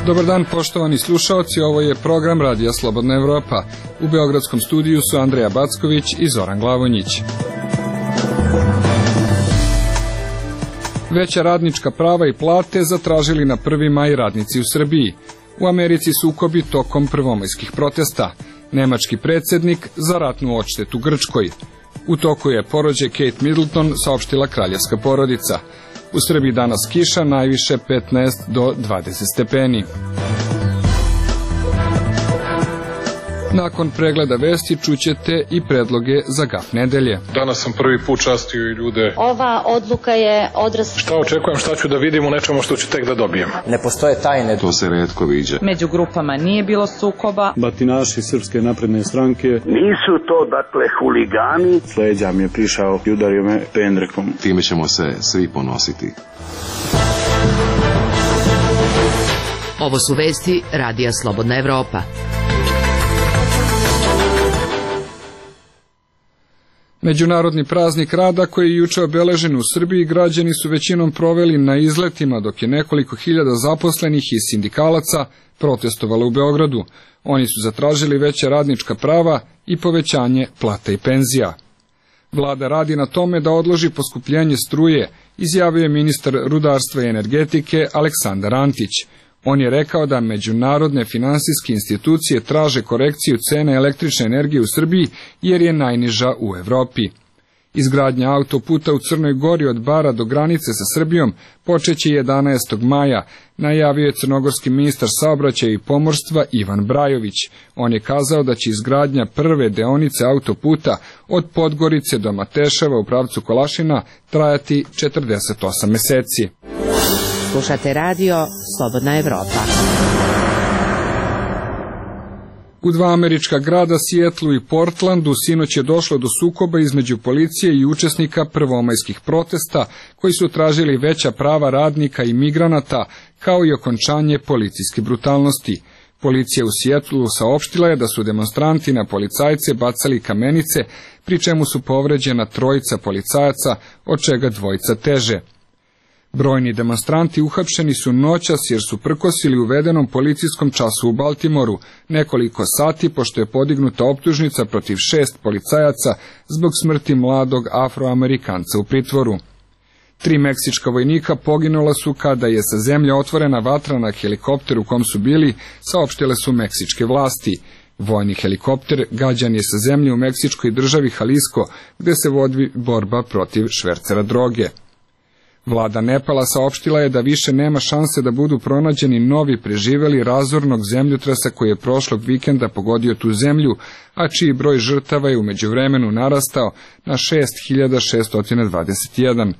Dobar dan, poštovani slušaoci, ovo je program Radija Slobodna Evropa. U beogradskom studiju su Andreja Backović i Zoran Glavonjić. Veća radnička prava i plate zatražili na 1. maj radnici u Srbiji. U Americi sukobi tokom prvomajskih protesta. Nemački predsjednik za ratnu odštetu Grčkoj. U toku je porođaj Kate Middleton, saopštila kraljevska porodica. U Srbiji danas kiša, najviše 15 do 20 stepeni. Nakon pregleda vesti čućete i predloge za gaf nedelje. Danas sam prvi put častio i ljude. Ova odluka je odraz... Šta očekujem, šta ću da vidim u nečemu što ću tek da dobijem. Ne postoje tajne. To se retko viđa. Među grupama nije bilo sukoba. Batinaši Srpske napredne stranke. Nisu to, dakle, huligani. S leđa mi je prišao i udario me pendrekom. Time ćemo se svi ponositi. Ovo su vesti Radija Slobodna Evropa. Međunarodni praznik rada koji je juče obeležen u Srbiji građani su većinom proveli na izletima, dok je nekoliko hiljada zaposlenih i sindikalaca protestovalo u Beogradu. Oni su zatražili veća radnička prava i povećanje plata i penzija. Vlada radi na tome da odloži poskupljenje struje, izjavio je ministar rudarstva i energetike Aleksandar Antić. On je rekao da međunarodne finansijske institucije traže korekciju cene električne energije u Srbiji jer je najniža u Evropi. Izgradnja autoputa u Crnoj Gori od Bara do granice sa Srbijom počeće 11. maja, najavio je crnogorski ministar saobraćaja i pomorstva Ivan Brajović. On je kazao da će izgradnja prve deonice autoputa od Podgorice do Mateševa u pravcu Kolašina trajati 48 meseci. Slušate radio Slobodna Evropa. U dva američka grada, Sijetlu i Portlandu, sinoć je došlo do sukoba između policije i učesnika prvomajskih protesta, koji su tražili veća prava radnika i migranata, kao i okončanje policijske brutalnosti. Policija u Sijetlu saopštila je da su demonstranti na policajce bacali kamenice, pri čemu su povređena 3 policajaca, od čega 2 teže. Brojni demonstranti uhapšeni su noćas jer su prkosili uvedenom policijskom času u Baltimoru nekoliko sati pošto je podignuta optužnica protiv 6 policajaca zbog smrti mladog Afroamerikanca u pritvoru. 3 meksička vojnika poginula su kada je sa zemlje otvorena vatra na helikopter u kom su bili, saopštile su meksičke vlasti. Vojni helikopter gađan je sa zemlje u meksičkoj državi Jalisco, gde se vodi borba protiv švercera droge. Vlada Nepala saopštila je da više nema šanse da budu pronađeni novi preživeli razornog zemljotresa koji je prošlog vikenda pogodio tu zemlju, a čiji broj žrtava je u međuvremenu narastao na 6621.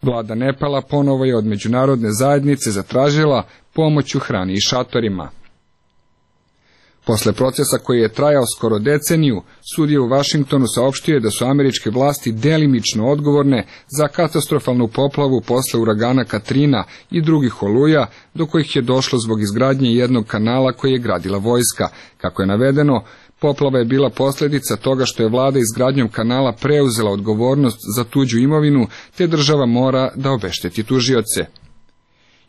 Vlada Nepala ponovo je od međunarodne zajednice zatražila pomoć u hrani i šatorima. Posle procesa koji je trajao skoro deceniju, sudija u Vašingtonu saopštio je da su američke vlasti delimično odgovorne za katastrofalnu poplavu posle uragana Katrina i drugih oluja, do kojih je došlo zbog izgradnje jednog kanala koji je gradila vojska. Kako je navedeno, poplava je bila posljedica toga što je vlada izgradnjom kanala preuzela odgovornost za tuđu imovinu, te država mora da obešteti tužioce.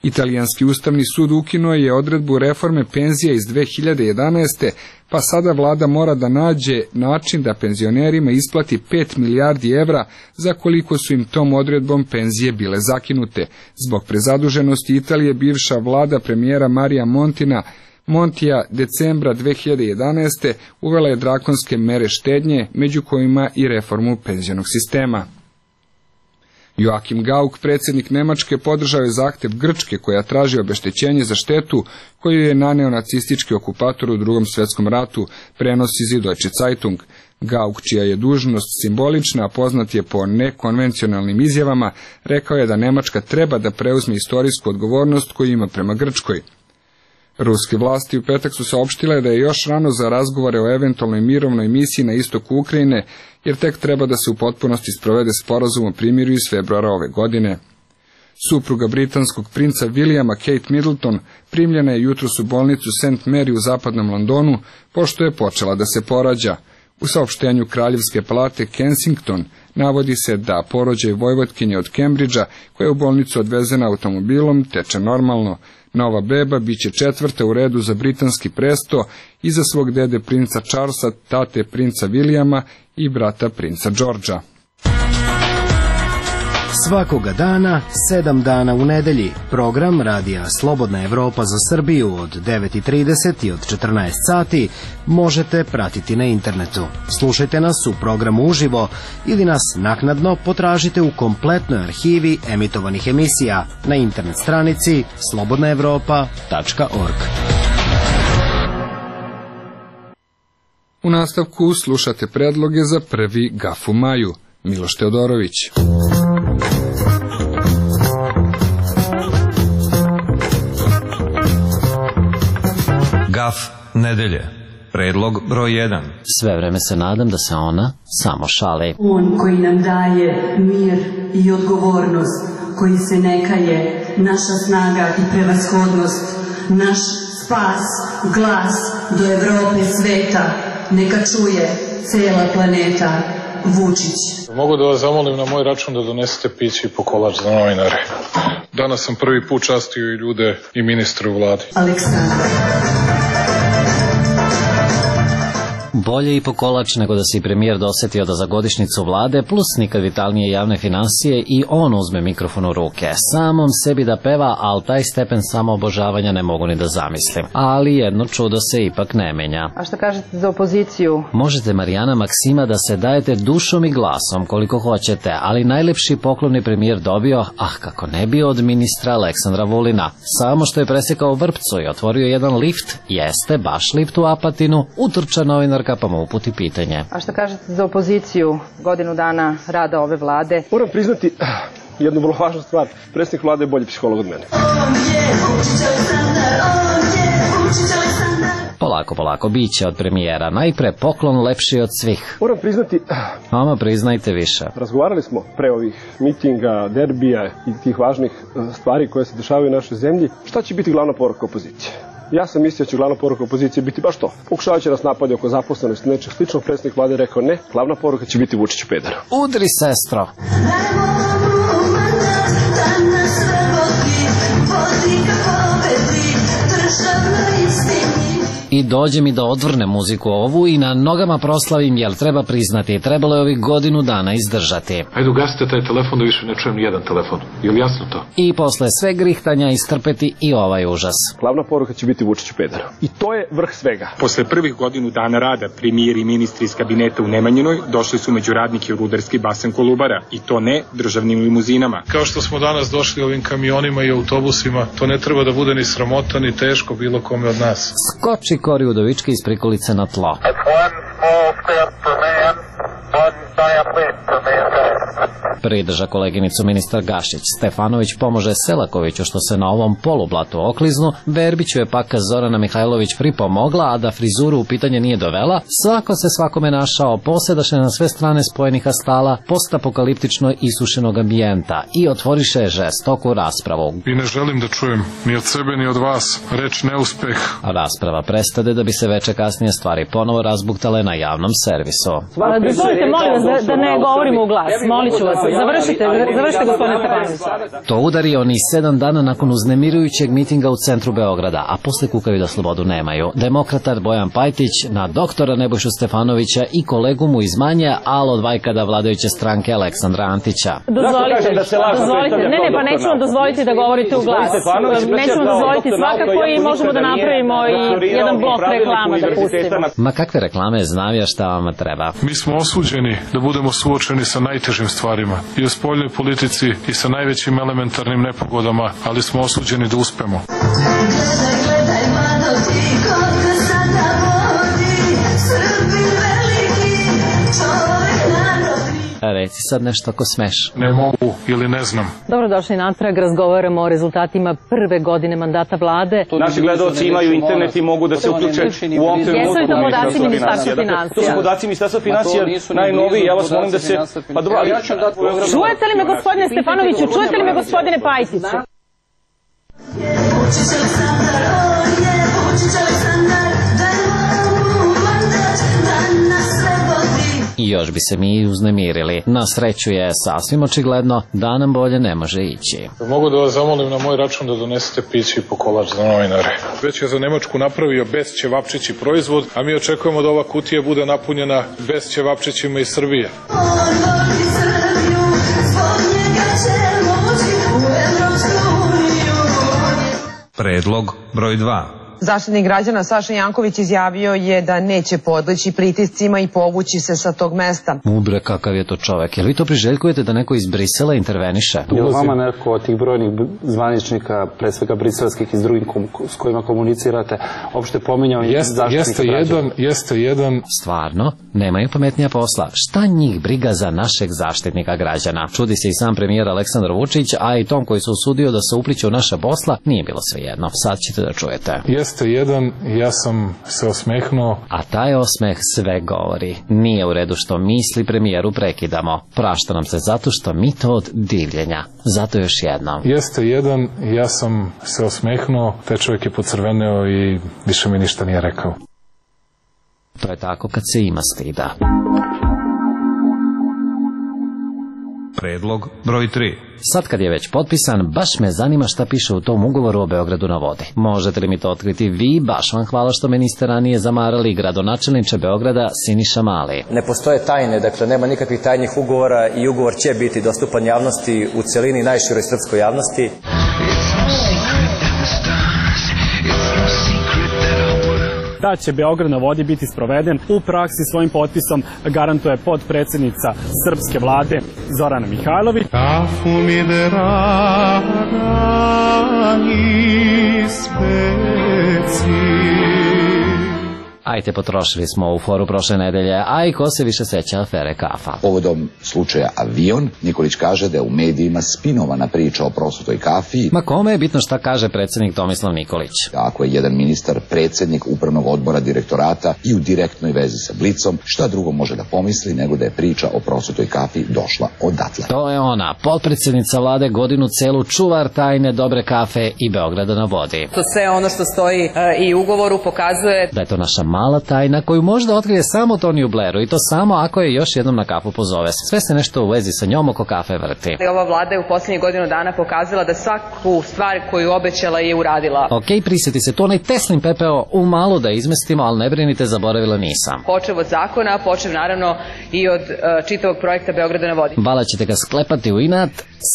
Italijanski ustavni sud ukinuo je odredbu reforme penzija iz 2011. pa sada vlada mora da nađe način da penzionerima isplati 5 milijardi evra za koliko su im tom odredbom penzije bile zakinute. Zbog prezaduženosti Italije bivša vlada premijera Marija Montija decembra 2011. uvela je drakonske mere štednje, među kojima i reformu penzionog sistema. Joachim Gauck, predsjednik Nemačke, podržao je zahtev Grčke koja traži obeštećenje za štetu koju je naneo nacistički okupator u Drugom svjetskom ratu, prenosi Süddeutsche Zeitung. Gauck, čija je dužnost simbolična, a poznat je po nekonvencionalnim izjavama, rekao je da Nemačka treba da preuzme istorijsku odgovornost koju ima prema Grčkoj. Ruske vlasti u petak su saopštile da je još rano za razgovore o eventualnoj mirovnoj misiji na istoku Ukrajine, jer tek treba da se u potpunosti sprovede sporazum o primirju iz februara ove godine. Supruga britanskog princa Williama, Kate Middleton, primljena je jutros u bolnicu St. Mary u zapadnom Londonu, pošto je počela da se porađa. U saopštenju Kraljevske palate Kensington Navodi se da porođaj Vojvotkinje od Kembridža, koja je u bolnicu odvezena automobilom, teče normalno. Nova beba biće 4. u redu za britanski presto iza svog dede princa Charlesa, tate princa Williama i brata princa Georgea. Svakoga dana, 7 dana u nedelji, program Radija Slobodna Evropa za Srbiju od 9:30 i od 14 sati možete pratiti na internetu. Slušajte nas u programu uživo ili nas naknadno potražite u kompletnoj arhivi emitovanih emisija na internet stranici slobodnaevropa.org. U nastavku slušate predloge za prvi Gaf u maju. Miloš Teodorović. Gaf nedelje. Predlog broj 1. Sve vreme se nadam da se ona samo šali. On koji nam daje mir i odgovornost, koji se ne kaje, naša snaga i prevashodnost, naš spas, glas do Evrope sveta, neka čuje cela planeta. Vučić. Mogu da vas zamolim na moj račun da donesete piće i po kolač za novinare. Danas sam prvi put častio i ljude i ministre u vladi. Aleksandar. Bolje i po kolač nego da se i premijer dosetio da za godišnjicu vlade, plus nikad vitalnije javne finansije, i on uzme mikrofon u ruke. Samom sebi da peva, ali taj stepen samoobožavanja ne mogu ni da zamislim. Ali jedno čudo se ipak ne menja. A šta kažete za opoziciju? Možete, Marijana Maksima, da se dajete dušom i glasom koliko hoćete, ali najlepši poklon je premijer dobio, kako ne bi, od ministra Aleksandra Vulina. Samo što je presekao vrpcu i otvorio jedan lift, jeste baš lift u Apatinu, utrča novinarka pa mu uputi pitanje. A šta kažete za opoziciju, godinu dana rada ove vlade? Moram priznati jednu vrlo važnu stvar. Predsjednik vlade je bolji psiholog od mene. Polako, biće od premijera. Najpre poklon lepši od svih. Moram priznati... Ama, priznajte više. Razgovarali smo pre ovih mitinga, derbija i tih važnih stvari koje se dešavaju u našoj zemlji. Šta će biti glavna poruka opozicije? Ja sam mislio da će glavna poruka opozicije biti baš to. Pokušavajući nas napadi oko zaposlenosti, nečeg sličnog, predsjednik vlade rekao ne, glavna poruka će biti Vučiću peder. Udri, sestro! I dođe mi da odvrnem muziku ovu i na nogama proslavim, jer treba priznati, trebalo je ovih godinu dana izdržati. Ajde, ugasite taj telefon da više ne čujem nijedan telefon. Je li jasno to? I posle sve grihtanja istrpeti i ovaj užas. Glavna poruka će biti Vučiću peder. I to je vrh svega. Posle prvih godinu dana rada, premijer i ministri iz kabineta u Nemanjinoj došli su među radnike u rudarski basen Kolubara. I to ne državnim limuzinama. Kao što smo danas došli ovim kamionima i autobusima, to ne treba da bude ni sramota, ni teško bilo kome od nas. Skoči Kori Udovički iz prikolice na tlo. Pridrža koleginicu ministar Gašić. Stefanović pomože Selakoviću što se na ovom polublatu okliznu. Verbiću je pak Zorana Mihajlović pripomogla, a da frizuru u pitanje nije dovela. Svako se svakome našao, posedaše na sve strane spojenih astala, postapokaliptično isušenog ambijenta i otvoriše žestoku raspravu. I ne želim da čujem ni od sebe ni od vas reč neuspeh. Rasprava prestade da bi se veče kasnije stvari ponovo razbuktale na javnom servisu. Dozvolite, molim vas, da ne govorimo u glas. Molit ću vas. Završite, gospodine Stefanović. To udari oni 7 dana nakon uznemirujućeg mitinga u centru Beograda, a posle kukaju da slobodu nemaju. Demokratar Bojan Pajtić na doktora Nebojšu Stefanovića i kolegu mu iz manje, ali od vajkada vladajuće stranke Aleksandra Antića. Dozvolite. Ne, pa neću vam dozvoliti da govorite u glas. Neću vam dozvoliti svakako i možemo da napravimo i jedan blok reklama da pustimo. Ma kakve reklame, znam ja šta vama treba. Mi smo osuđeni da budemo suočeni sa najtežim stvarima i u spoljnoj politici i sa najvećim elementarnim nepogodama, ali smo osuđeni da uspemo. Gledaj, mlado ti, koliko sada vodi, Srbi veliki, čovek narodni. Reci sad nešto ako smeš. Ne mogu ili ne znam. Dobrodošli natrag, razgovaramo o rezultatima prve godine mandata vlade. Naši gledalci imaju internet i mogu da se uključe u ovom trenutku. Jesu li to podaci Ministarstva finansija? To su podaci Ministarstva finansija, najnoviji, ja vas molim da se... Čujete li me, gospodine Stefanoviću, čujete li me, gospodine Pajtiću? I još bi se mi uznemirili. Na sreću je sasvim očigledno da nam bolje ne može ići. Mogu da vas zamolim na moj račun da donesete piće i po kolač za novinare. Već je za Nemačku napravio bez ćevapčići proizvod, a mi očekujemo da ova kutija bude napunjena bez ćevapčićima iz Srbije. Predlog broj 2. Zaštitnik građana Saša Janković izjavio je da neće podleći pritiscima i povući se sa tog mesta. Ubre, kakav je to čovek. Jel vi to priželjkujete da neko iz Brisela interveniše? Je li vama neko od tih brojnih zvaničnika, pre svega briselskih i s drugim s kojima komunicirate, opšte pominjao zaštitnika građana? Jeste jedan. Stvarno? Nemaju pametnija posla. Šta njih briga za našeg zaštitnika građana? Čudi se i sam premijer Aleksandar Vučić, a i tom koji se usudio da se upliće u naša posla, nije bilo svejedno. Sad ćete da čujete. Jeste jedan, ja sam se osmehnuo. A taj osmeh sve govori. Nije u redu što misli premijeru prekidamo. Prašta nam se zato što mi to od divljenja. Zato još jednom. Jeste jedan, ja sam se osmehnuo, taj čovjek je pocrveneo i više mi ništa nije rekao. To je tako kad se ima stida. Predlog broj 3. Sad kad je već potpisan, baš me zanima šta piše u tom ugovoru o Beogradu na vodi. Možete li mi to otkriti vi? Baš vam hvala što me niste ranije zamarali, gradonačelniče Beograda Siniša Mali. Ne postoje tajne, dakle nema nikakvih tajnih ugovora i ugovor će biti dostupan javnosti u celini, najširoj srpskoj javnosti. Da će Beograd na vodi biti sproveden u praksi svojim potpisom garantuje podpredsednica srpske vlade Zorana Mihajlović. Kafu mi dragi speci. Ajte, potrošili smo u foru prošle nedelje, a i ko se više seća afere kafa. Povodom slučaja Avion, Nikolić kaže da je u medijima spinovana priča o prosutoj kafi. Ma kome je bitno šta kaže predsjednik Tomislav Nikolić? Ako je jedan ministar predsjednik upravnog odbora direktorata i u direktnoj vezi sa Blicom, šta drugo može da pomisli nego da je priča o prosutoj kafi došla odatle. To je ona, potpredsjednica vlade godinu celu čuvar tajne dobre kafe i Beograda na vodi. To sve ono što stoji i u ugovoru pokazuje da je to naša mala tajna koju možda otkrije samo Toniju Blairu i to samo ako je još jednom na kafu pozove. Sve se nešto u vezi sa njom oko kafe vrti. Ova vlada je u posljednjih godinu dana pokazala da svaku stvar koju obećala je uradila. Ok, prisjeti se, to onaj Teslin pepeo u malo da izmestimo, ali ne brinite, zaboravila nisam. Počev od zakona, počev naravno i od čitavog projekta Beograda na vodi. Vala ćete ga sklepati u inat,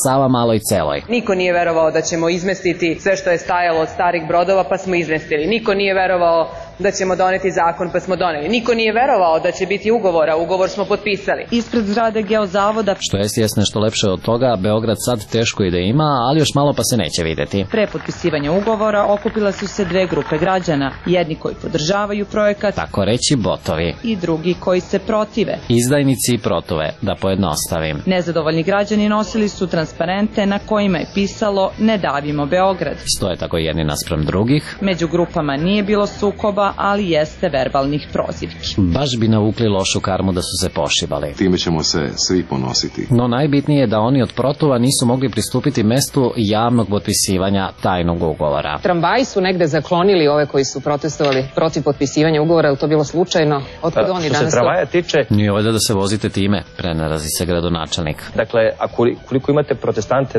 Sava maloj celoj. Niko nije verovao da ćemo izmestiti sve što je stajalo od starih brodova, pa smo izmestili. Niko nije verovao da ćemo doneti zakon, pa smo doneli. Niko nije verovao da će biti ugovora, ugovor smo potpisali. Ispred zgrade Geozavoda. Što jest nešto lepše od toga, Beograd sad teško i da ima, ali još malo pa se neće videti. Pre potpisivanja ugovora okupila su se dve grupe građana, jedni koji podržavaju projekat, tako reći botovi, i drugi koji se protive. Izdajnici i protove, da pojednostavim. Nezadovoljni građani nosili su transparente na kojima je pisalo "Ne davimo Beograd". Stoje tako jedni naspram drugih. Među grupama nije bilo sukoba, ali jeste verbalnih prozivki. Baš bi navukli lošu karmu da su se pošibali. Time ćemo se svi ponositi. No najbitnije je da oni od protova nisu mogli pristupiti mestu javnog potpisivanja tajnog ugovora. Tramvaji su negde zaklonili ove koji su protestovali protiv potpisivanja ugovora, je li to bilo slučajno? Otkud oni danas? Što se tramvaja tiče... Nije ovdje da se vozite time, prenarazi se gradonačelnik. Dakle, a koliko imate protestante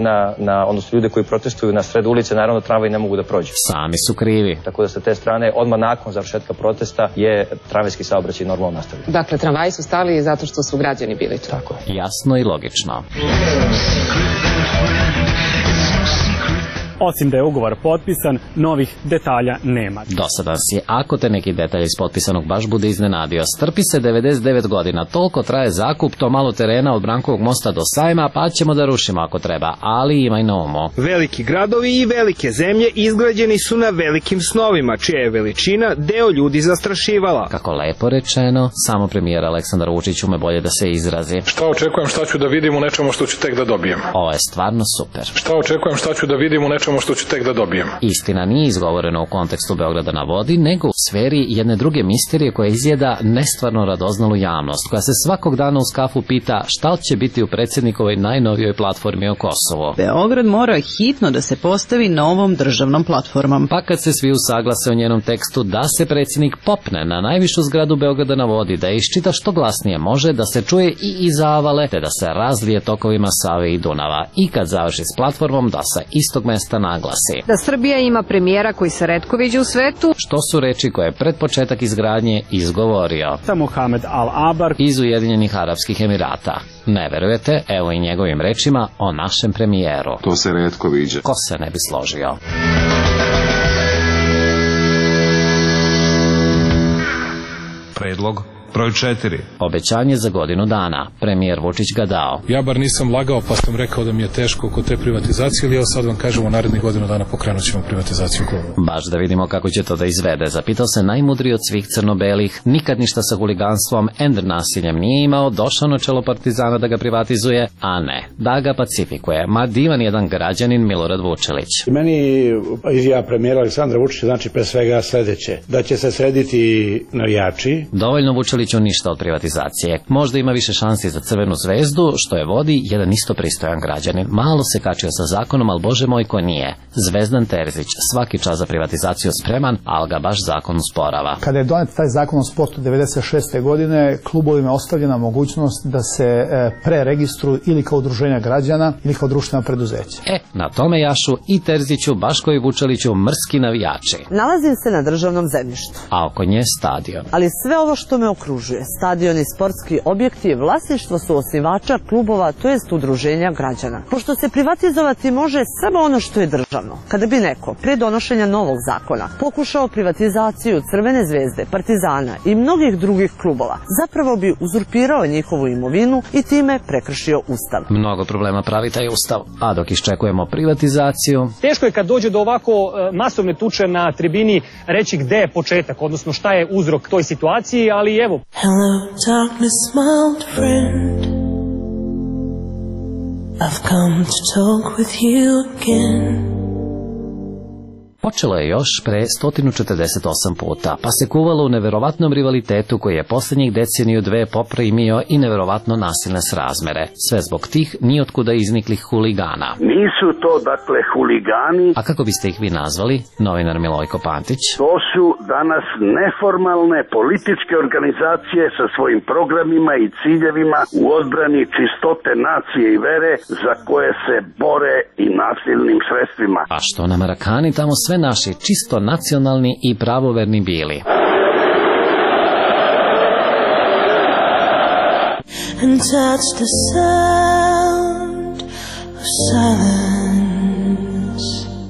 odnosno ljude koji protestuju na sred ulice, naravno tramvaji ne mogu da prođu. Sami su krivi. Tako da sa te strane, odmah nakon završetka protesta je tramvajski saobraćaj normalno nastavljen. Dakle, tramvaji su stali zato što su građani bili tu. Tako je. Jasno i logično. Osim da je ugovor potpisan, novih detalja nema. Dosadan si, ako te neki detalj iz potpisanog baš bude iznenadio. Strpi se 99 godina, toliko traje zakup, to malo terena od Brankovog mosta do Sajma, pa ćemo da rušimo ako treba, ali imaj na umu. Veliki gradovi i velike zemlje izgrađeni su na velikim snovima, čija je veličina deo ljudi zastrašivala. Kako lepo rečeno, samo premijer Aleksandar Vučić ume bolje da se izrazi. Šta očekujem, šta ću da vidim u nečemu što ću tek da dobijem? Ovo je stvarno super. Šta očekujem, šta ću da vidim u nečemu samo što ću tek da dobijem. Istina nije izgovorena u kontekstu Beograda na vodi, nego u sferi jedne druge misterije koja izjeda nestvarno radoznalu javnost, koja se svakog dana uz kafu pita šta će biti u predsjednikovoj najnovijoj platformi o Kosovu. Beograd mora hitno da se postavi novom državnom platformom. Pa kad se svi usaglase o njenom tekstu da se predsjednik popne na najvišu zgradu Beograda na vodi, da iščita što glasnije može, da se čuje i iza avale, te da se razlije tokovima Save i Dunava. I kad završi s platformom, da sa istog mesta naglasi da Srbija ima premijera koji se retko viđa u svetu. Što su reči koje je pred početak izgradnje izgovorio Mohamed Al-Abar iz Ujedinjenih Arapskih Emirata. Ne verujete, evo i njegovim rečima o našem premijeru. To se retko viđa. Ko se ne bi složio? Predlog broj 4. Obećanje za godinu dana. Premijer Vučić ga dao. Ja bar nisam lagao pa sam rekao da mi je teško oko te privatizacije, ali evo sad vam kažemo narednih godinu dana pokrenut ćemo privatizaciju. Baš da vidimo kako će to da izvede. Zapitao se najmudriji od svih crno-belih. Nikad ništa sa huliganstvom, ender nasiljem nije imao, došao na čelo Partizana da ga privatizuje, a ne, da ga pacifikuje. Ma divan jedan građanin Milorad Vučelić. Meni izjava premijera Aleksandra Vučića znači pre svega sledeće, da će se srediti navijači. Dovoljno Vučeliću ništa od privatizacije. Možda ima više šansi za Crvenu zvezdu, što je vodi jedan isto pristojan građanin. Malo se kačio sa zakonom, ali bože moj ko nije. Zvezdan Terzić, svaki čas za privatizaciju spreman, ali ga baš zakon usporava. Kada je donet taj zakon o sportu 96. godine, klubovima je ostavljena mogućnost da se preregistruju ili kao udruženja građana ili kao društvena preduzeća. Na tome jašu i Terziću, baš kao i Vučeliću, mrski navijači. Nalazim se na državnom zemljištu. A oko nje stadion. Ali sve ovo što me okružuje, stadion i sportski objekti, vlasništvo su osnivača klubova, to jest udruženja građana. Pošto se privatizovati može samo ono što je državno. Kada bi neko, pre donošenja novog zakona, pokušao privatizaciju Crvene zvezde, Partizana i mnogih drugih klubova, zapravo bi uzurpirao njihovu imovinu i time prekršio Ustav. Mnogo problema pravi taj Ustav, a dok iščekujemo privatizaciju... Teško je kad dođe do ovako masovne tuče na tribini reći gde je početak, odnosno šta je uzrok toj situaciji, ali evo. Hello, darkness, my old friend. I've come to talk with you again. Počelo je još pre 148 puta, pa se kuvalo u neverovatnom rivalitetu koji je posljednjih deceniju dve poprimio i neverovatno nasilne srazmere. Sve zbog tih nijotkuda izniklih huligana. Nisu to, dakle, huligani. A kako biste ih vi nazvali, novinar Milojko Pantić? To su danas neformalne političke organizacije sa svojim programima i ciljevima u odbrani čistote nacije i vere za koje se bore i nasilnim sredstvima. A što nam Marakani tamo sve naši čisto nacionalni i pravoverni bili. And that's the sound of silence.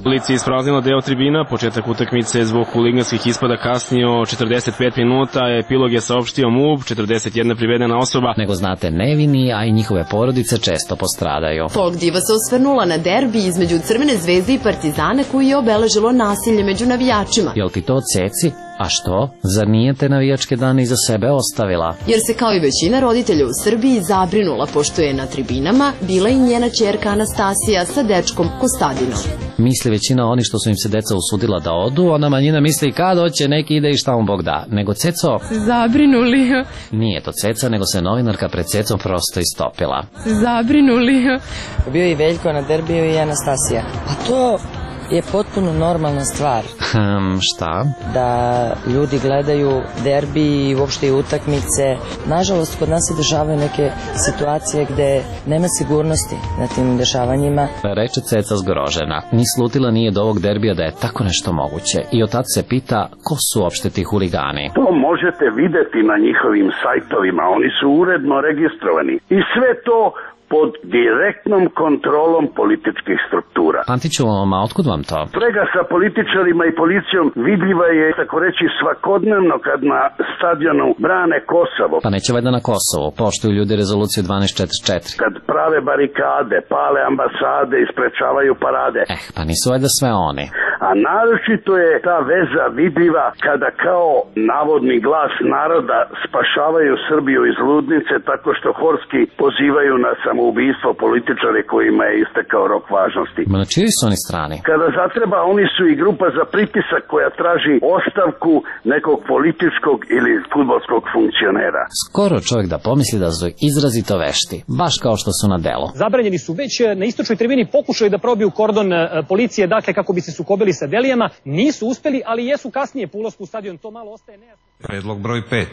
Policija je ispraznila deo tribina, početak utakmice je zbog huliganskih ispada kasnio 45 minuta, epilog je saopštio MUP, 41 privedena osoba. Nego znate, nevini, a i njihove porodice često postradaju. Folk diva se osvrnula na derbi između Crvene zvezde i Partizana koji je obeležilo nasilje među navijačima. Jel ti to ceci? A što? Zar nije te navijačke dane iza sebe ostavila? Jer se kao i većina roditelja u Srbiji zabrinula pošto je na tribinama bila i njena ćerka Anastasija sa dečkom Kostadinom. Misli većina oni što su im se deca usudila da odu, ona manjina misli kad hoće neki ide i šta mu Bog da. Nego Ceco... Zabrinuli. Nije to Ceca, nego se novinarka pred Cecom prosto istopila. Zabrinuli. Bio i Veljko na derbiju i Anastasija. A to je potpuno normalna stvar. Šta? Da ljudi gledaju derbi i uopšte i utakmice. Nažalost, kod nas se dešavaju neke situacije gde nema sigurnosti na tim dešavanjima. Reče Ceca zgrožena. Ni slutila nije do ovog derbija da je tako nešto moguće. I od tad se pita ko su uopšte ti huligani. To možete videti na njihovim sajtovima. Oni su uredno registrovani. I sve to pod direktnom kontrolom političkih struktura. Pantiću, a otkud vam to? Sprega sa političarima i policijom vidljiva je, tako reći, svakodnevno kad na stadionu brane Kosovo. Pa neće valjda na Kosovo, poštuju ljudi rezoluciju 1244. Kad prave barikade, pale ambasade i sprečavaju parade. Pa nisu valjda sve oni. a naročito je ta veza vidljiva kada kao navodni glas naroda spašavaju Srbiju iz ludnice tako što horski pozivaju na samoubistvo političare kojima je istekao rok važnosti. Ma na čiji su oni strani? Kada zatreba, oni su i grupa za pritisak koja traži ostavku nekog političkog ili fudbalskog funkcionera. Skoro čovjek da pomisli da su izrazito vešti, baš kao što su na delu. Zabranjeni su već na istočnoj tribini pokušali da probiju kordon policije, dakle kako bi se sukobili sa Delijama, nisu uspeli, ali jesu kasnije po ulasku u stadion, to malo ostaje nejasno. Predlog broj 5.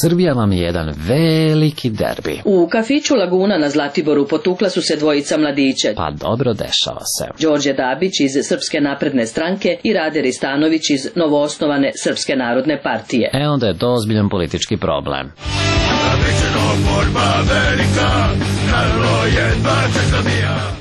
Srbija vam je jedan veliki derbi. U kafiću Laguna na Zlatiboru potukla su se dvojica mladića. Pa dobro, dešava se. Đorđe Dabić iz Srpske napredne stranke i Rade Ristanović iz novoosnovane Srpske narodne partije. Onda je to ozbiljan politički problem.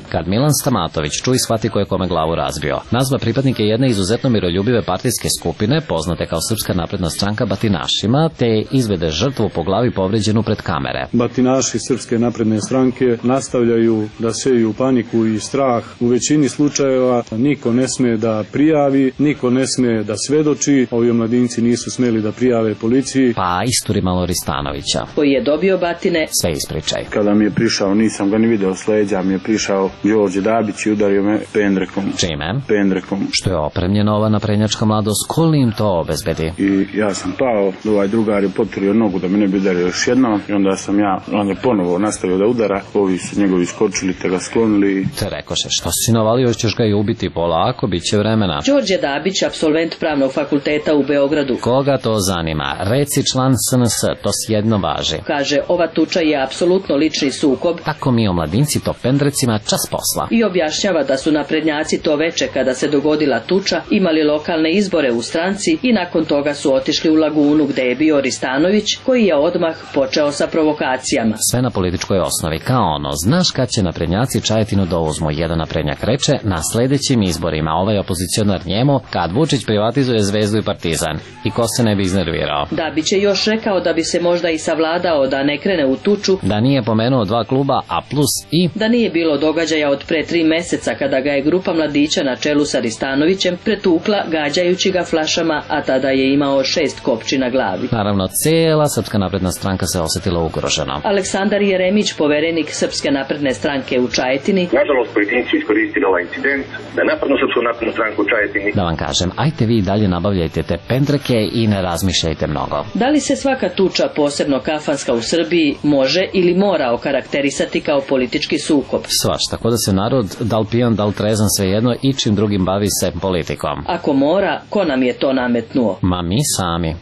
Kad Milan Stamatović čuj shvati ko je kome glavu razbio, nazva pripadnike jedne izuzetno miroljubive partijske skupine, poznate kao Srpska napredna stranka, batinašima, te izvede žrtvu po glavi povređenu pred kamere. Batinaši Srpske napredne stranke nastavljaju da seju paniku i strah. U većini slučajeva niko ne sme da prijavi, niko ne sme da svedoči. Ovi omladinci nisu smeli da prijave policiji. Pa isturi malo Ristanovića, koji je dobio batine. Sve ispričaj. Kada mi je prišao, nisam ga ni video s leđa, mi je prišao Đorđe Dabić i udario me pendrekom. Čime? Pendrekom. Što je opremljena ova naprednjačka mladost, ko li im to obezbedi? I ja sam pao, ovaj drugar je potvorio nogu da me ne bi udario još jednom i onda sam on je ponovo nastavio da udara, ovi su njegovi skočili te ga sklonili. Te rekoše, što si navalio, ćeš ga i ubiti polako, bit će vremena. Đorđe Dabić, apsolvent pravnog fakulteta u Beogradu. Koga to zanima? Reci član SNS, to sjedno važi. Kaže, ova tuča je apsolutno lični sukob. Tako mi omladinci to pendrecima čas posla. I objašnjava da su naprednjaci to veče kada se dogodila tuča imali lokalne izbore u stranci i nakon toga su otišli u Lagunu gde je bio Ristanović koji je odmah počeo sa provokacijama. Sve na političkoj osnovi, kao ono, znaš kad će naprednjaci Čajetinu da uzmu, jedan naprednjak reče, na sledećim izborima ovaj opozicionar njemu kad Vučić privatizuje Zvezdu i Partizan. I ko se ne bi iznervirao? Dabić je još rekao da bi se možda i savladao da ne krene u tuču, da nije pomenuo dva kluba, a plus i da nije bilo događaja od pre 3 meseca kada ga je grupa mladića na čelu sa Ristanovićem pretukla gađajući ga flašama, a tada je imao 6 kopči na glavi. Naravno, cijela Srpska napredna stranka se osetila ugroženo. Aleksandar Jeremić, poverenik Srpske napredne stranke u Čajetini. Nažalost, pojedinci iskoristili ovaj incident da napadnu Srpsku naprednu stranku u Čajetini. Da vam kažem, ajte vi dalje nabavljajte te pendreke i ne razmišljajte mnogo. Da li se svaka tuča, posebno kafanska u Srbiji, može ili mora okarakterisati kao politički sukob? Svašta, tako da se narod, da li pijan, da li trezan, svejedno, i čim drugim bavi se politikom. Ako mora, ko nam je to nametnuo? Ma mi sami.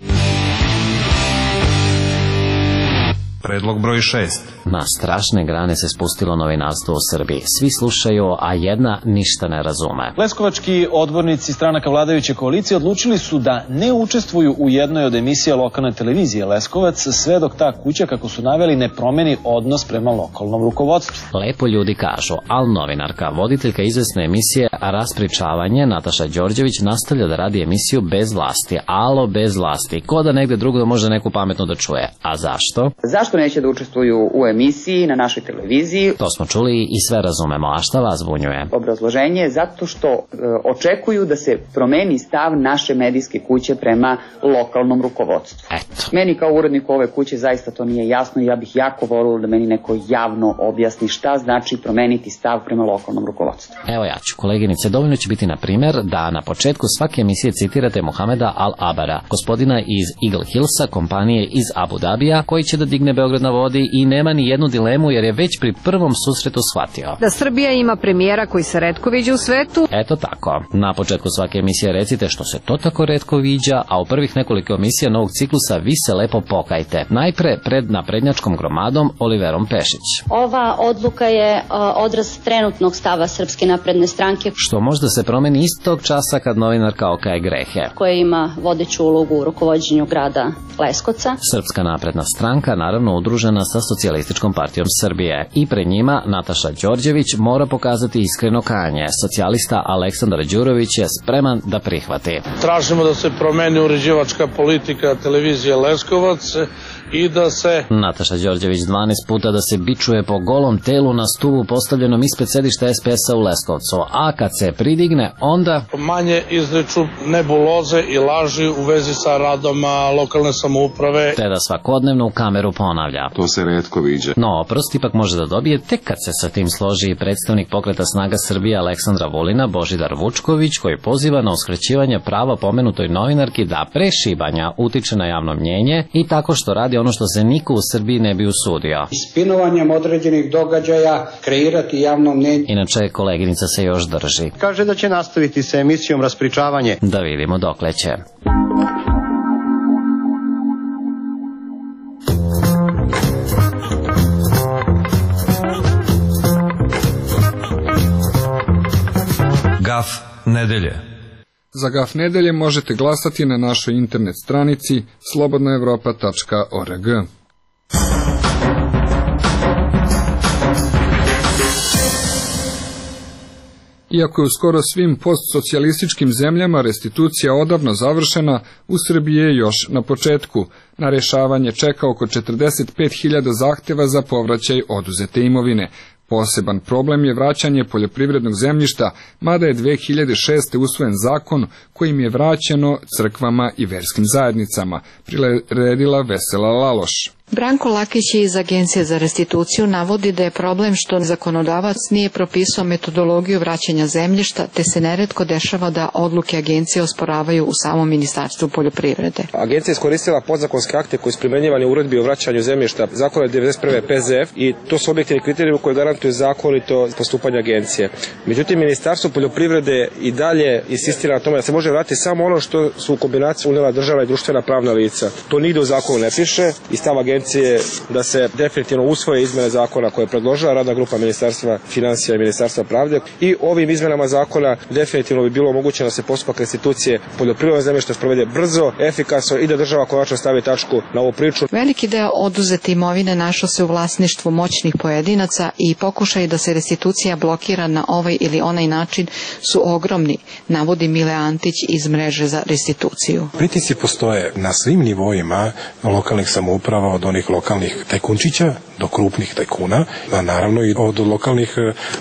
Predlog broj 6. Na strašne grane se spustilo novinarstvo u Srbiji. Svi slušaju, a jedna ništa ne razume. Leskovački odbornici stranaka vladajuće koalicije odlučili su da ne učestvuju u jednoj od emisija lokalne televizije Leskovac, sve dok ta kuća, kako su naveli, ne promeni odnos prema lokalnom rukovodstvu. Lepo ljudi kažu, ali novinarka, voditeljka izvesne emisije Raspričavanje, Nataša Đorđević, nastavlja da radi emisiju bez vlasti. Alo, bez vlasti. Ko da negde drugo može neku pametno da čuje. A zašto? Zašto neće da učestvuju u emisiji na našoj televiziji? To smo čuli i sve razumemo, a šta vas zbunjuje? Obrazloženje je zato što očekuju da se promeni stav naše medijske kuće prema lokalnom rukovodstvu. Eto. Meni kao uredniku ove kuće zaista to nije jasno i ja bih jako volila da meni neko javno objasni šta znači promeniti stav prema lokalnom rukovodstvu. Evo ja ću, koleginice, dovoljno će biti na primjer da na početku svake emisije citirate Mohameda Al-Abara, gospodina iz Eagle Hillsa, kompanije iz Abu Dabija, koji će da digne Beograd na vodi i nema ni jednu dilemu jer je već pri prvom susretu shvatio da Srbija ima premijera koji se retko viđa u svetu. Eto tako. Na početku svake emisije recite što se to tako retko viđa, a u prvih nekoliko emisija novog ciklusa vi se lepo pokajte. Najpre pred naprednjačkom gromadom Oliverom Pešić. Ova odluka je odraz trenutnog stava Srpske napredne stranke, što možda se promeni istog časa kad novinarka okaje grehe, koja ima vodeću ulogu u rukovođenju grada Leskovca. Srpska napredna stranka, naravno udružena sa Socijalističkom partijom Srbije, i pred njima Nataša Đorđević mora pokazati iskreno kajanje. Socijalista Aleksandar Đurović je spreman da prihvati. Tražimo da se promeni uređivačka politika televizije Leskovac i da se... Nataša Đorđević 12 puta da se bičuje po golom telu na stulu postavljenom ispred sedišta SPS-a u Leskovcu, a kad se pridigne, onda... Manje izreču nebuloze i laži u vezi sa radom lokalne samouprave. Te da svakodnevno u kameru ponavlja. To se retko viđa. No, oprost ipak može da dobije tek kad se sa tim složi i predstavnik Pokreta Snaga Srbije Aleksandra Vulina, Božidar Vučković, koji poziva na uskraćivanje prava pomenutoj novinarki da pre šibanja utiče na javno mnjenje i tako što radi ono što se niko u Srbiji ne bi usudio. Spinovanjem određenih događaja kreirati javno mnjenje. Inače, koleginica se još drži. Kaže da će nastaviti sa emisijom Raspričavanje. Da vidimo dokle će. Gaf nedelje. Za Gaf nedelje možete glasati na našoj internet stranici slobodnaevropa.org. Iako je u skoro svim postsocijalističkim zemljama restitucija odavno završena, u Srbiji je još na početku. Na rešavanje čeka oko 45.000 zahteva za povraćaj oduzete imovine. Poseban problem je vraćanje poljoprivrednog zemljišta, mada je 2006. usvojen zakon kojim je vraćeno crkvama i verskim zajednicama, priredila Vesela Laloš. Branko Lakić iz Agencije za restituciju navodi da je problem što zakonodavac nije propisao metodologiju vraćanja zemljišta, te se neretko dešava da odluke agencije osporavaju u samom Ministarstvu poljoprivrede. Agencija je iskoristila podzakonske akte koji su primenjivani u uredbi o vraćanju zemljišta, zakon je 91. PZF i to su objektivni kriterijumi koji garantuju zakonito postupanje agencije. Međutim, Ministarstvo poljoprivrede i dalje insistira na tome da se može vratiti samo ono što su u kombinaciji unijela državna i društvena pravna lica. To nigde u zakonu ne piše i stav agencije da se definitivno usvoje izmene zakona koje je predložila radna grupa Ministarstva finansija i Ministarstva pravde i ovim izmenama zakona definitivno bi bilo omogućeno da se postupak restitucije poljoprivrednog zemljišta sprovede brzo, efikasno i da država konačno stavi tačku na ovu priču. Veliki deo oduzete imovine našao se u vlasništvu moćnih pojedinaca i pokušaj da se restitucija blokira na ovaj ili onaj način su ogromni, navodi Mile Antić iz mreže za restituciju. Pritisci postoje na svim nivoima lokalnih samouprava, od onih lokalnih tajkunčića do krupnih tajkuna, a naravno i od lokalnih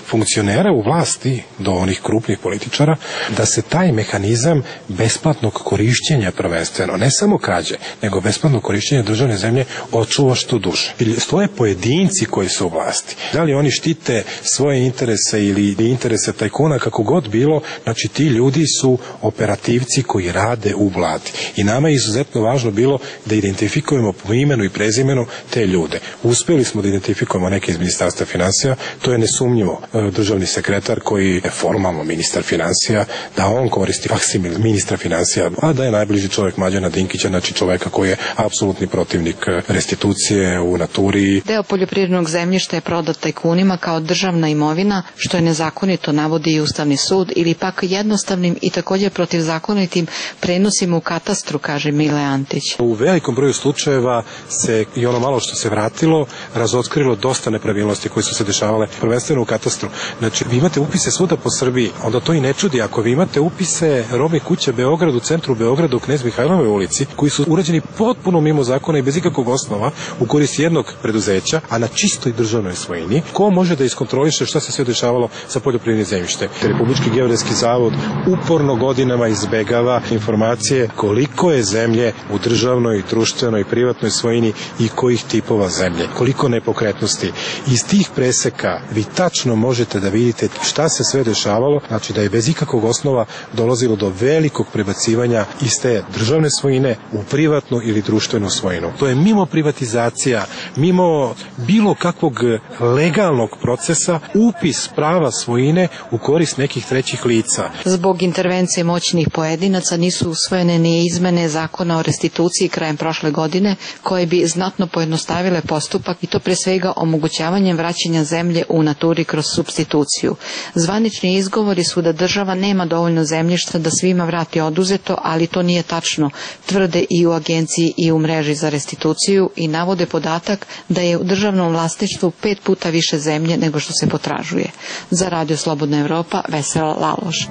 funkcionera u vlasti do onih krupnih političara, da se taj mehanizam besplatnog korišćenja prvenstveno, ne samo krađe, nego besplatnog korišćenja državne zemlje očuva što duže. Stoje pojedinci koji su u vlasti. Da li oni štite svoje interese ili interese tajkuna, kako god bilo, znači ti ljudi su operativci koji rade u vladi. I nama je izuzetno važno bilo da identifikujemo po imenu i prezimenu te ljude. Uspeli smo da identifikujemo neke iz Ministarstva finansija, to je nesumnjivo državni sekretar koji je formalno ministar finansija, da on koristi faksimil ministra finansija, a da je najbliži čovjek Mlađana Dinkića, znači čovjeka koji je apsolutni protivnik restitucije u naturi. Deo poljoprivrednog zemljišta je prodat tajkunima kao državna imovina, što je nezakonito, navodi i Ustavni sud, ili pak jednostavnim i također protivzakonitim prenosima u katastru, kaže Mile Antić. U velikom broju slučajeva se i ono malo što se vratilo razotkrilo dosta nepravilnosti koje su se dešavale prvenstveno u katastru. Znači, vi imate upise svuda po Srbiji, onda to i ne čudi. Ako vi imate upise robnih kuća Beograd, u centru Beograda, u Knez Mihajlovoj ulici, koji su urađeni potpuno mimo zakona i bez ikakvog osnova u korist jednog preduzeća, a na čistoj državnoj svojini, ko može da iskontroliše šta se sve dešavalo sa poljoprivrednim zemljištem? Republički geodetski zavod uporno godinama izbegava informacije koliko je zemlje u državnoj, društvenoj i privatnoj svojini i kojih tipova zemlje, koliko nepokretnosti. Iz tih preseka vi tačno možete da vidite šta se sve dešavalo, znači da je bez ikakvog osnova dolazilo do velikog prebacivanja iz te državne svojine u privatnu ili društvenu svojinu. To je mimo privatizacija, mimo bilo kakvog legalnog procesa, upis prava svojine u korist nekih trećih lica. Zbog intervencije moćnih pojedinaca nisu usvojene ni izmene zakona o restituciji krajem prošle godine, koje bi znatno pojednostavile postupak i to pre svega omogućavanjem vraćanja zemlje u naturi kroz supstituciju. Zvanični izgovori su da država nema dovoljno zemljišta da svima vrati oduzeto, ali to nije tačno, tvrde i u agenciji i u mreži za restituciju i navode podatak da je u državnom vlasništvu 5 puta više zemlje nego što se potražuje. Za Radio Slobodna Evropa, Vesela Laloš.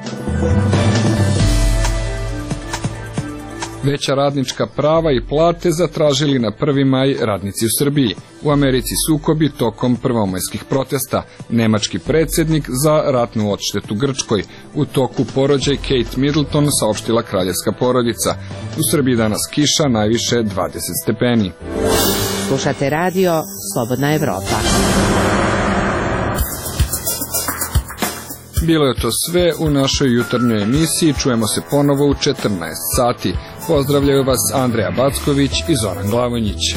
Veća radnička prava i plate zatražili na 1. maj radnici u Srbiji. U Americi sukobi tokom prvomajskih protesta. Nemački predsjednik za ratnu odštetu Grčkoj. U toku porođaj Kate Middleton, saopštila kraljevska porodica. U Srbiji danas kiša, najviše 20 stepeni. Slušate radio Slobodna Evropa. Bilo je to sve u našoj jutarnjoj emisiji. Čujemo se ponovo u 14 sati. Pozdravljaju vas Andreja Backović i Zoran Glavonjić.